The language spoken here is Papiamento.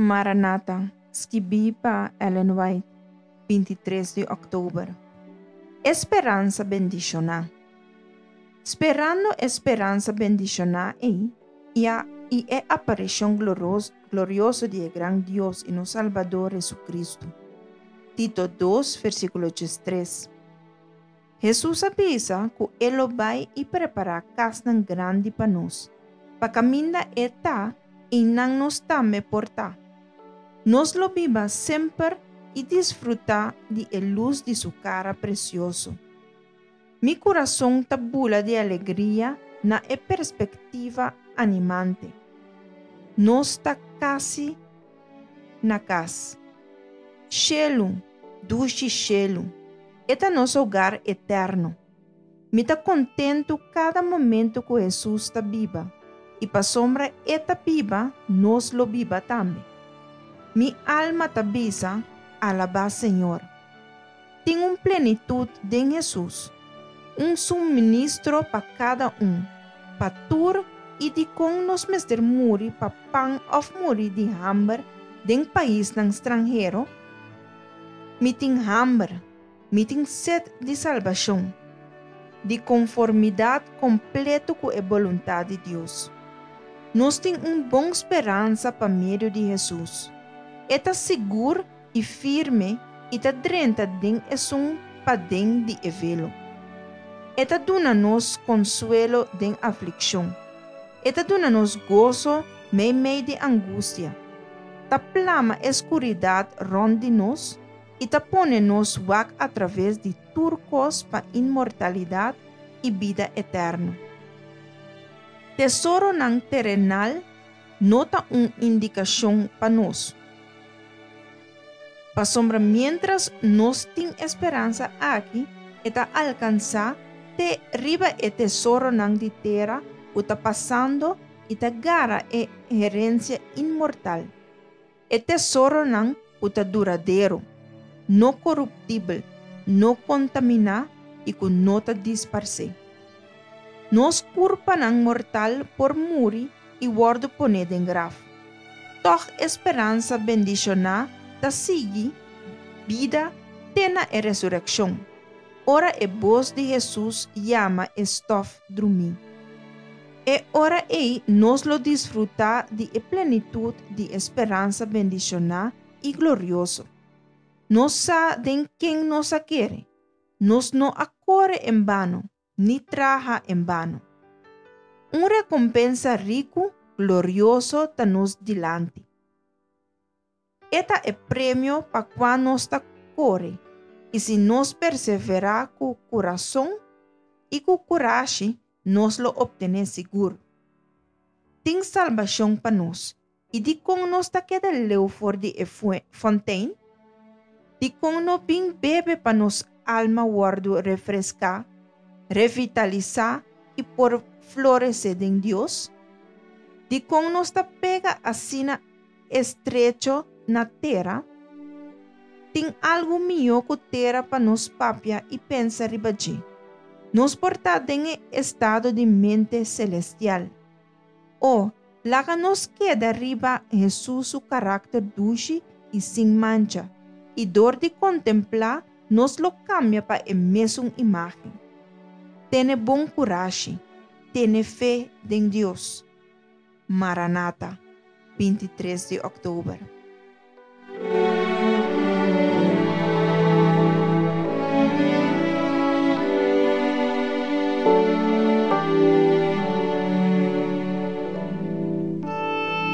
Maranata, skibí pa Ellen White, 23 di òktober. E speransa bendishoná. Sperando e speransa bendishoná ei i a i e aparishon glorioso di e gran Dios i nos Salbador Hesukristu. Tito dos, versíkulo 13. Hesus a bisa ku e lo bai i prepará kasnan grandi pa nos, pa kaminda e ta, einan nos tambe por ta. Nos lo biba semper i disfrutá di e lus di su kara presioso. Mi kurason ta bula di alegria na e perspektiva animante. Nos ta kasi na kas. Shelu, dushi shelu, e ta nos hogar eterno. Mi ta kontentu kada momentu ku Hesus ta biba, i pasobra E ta biba, nos lo biba tambe. Mi alma ta bisa, Alabá Señor! Tin un plenitut den Hesus, un suministro pa kada un, pa tur i dikon nos mester muri pa pan òf muri di hamber den paisnan stranhero? Mi tin hamber, mi tin set di salbashon, di konformidat kompleto ku e boluntat di Dios. Nos tin un bon speransa pa medio di Hesus. E ta sigur i firme i ta drenta den esun paden di e velo. E ta duna nos konsuelo den aflikshon. E ta duna nos goso meimei di angustia. Ta plama e skuridat rònt di nos i ta pone nos wak atraves di tur kos pa inmortalidat i bida eterno. Tesoronan terenal no ta un indikashon pa nos. Pasobra miéntras nos tin e speransa aki, e ta alkansá te riba e tesoronan di tera ku ta pasando i ta gara e herensia inmortal, e tesoronan ku ta duradero, no koruptibel, no kontaminá i ku no ta disparsé. Nos kurpanan mortal por muri i wòrdu poné den graf. Tòg e speransa bendishoná ta sigui bida te na e resurekshon, ora e bos di Hesus yama e stòf drumí. E ora ei nos lo disfrutá di e plenitut di e speransa bendishoná i glorioso. Nos sa den ken nos a kere. Nos no a kore en bano, ni traha en bano. Un rekompensa riku, glorioso ta nos dilanti. E ta e premio pa kua nos ta kore, i si nos perseverá ku kurason i ku kurashi, nos lo optené sigur. Tin salbashon pa nos, I dikon nos ta keda leu for di e fontein? Dikon no bin bebe pa nos alma wòrdu refreská, revitalisá i por floresé den Dios? Dikon nos ta pega asina estrecho na tera? Tin algu mihó ku tera pa nos papia i pensa riba dje. Nos por ta den e estado di mente selestial. O, laga nos keda riba Hesus su karakter dushi i sin mancha, i dor di kontemplá nos lo kambia pa e mesun imágen. Tene bon kurashi, tene fe den Dios. Maranata, 23 di òktober.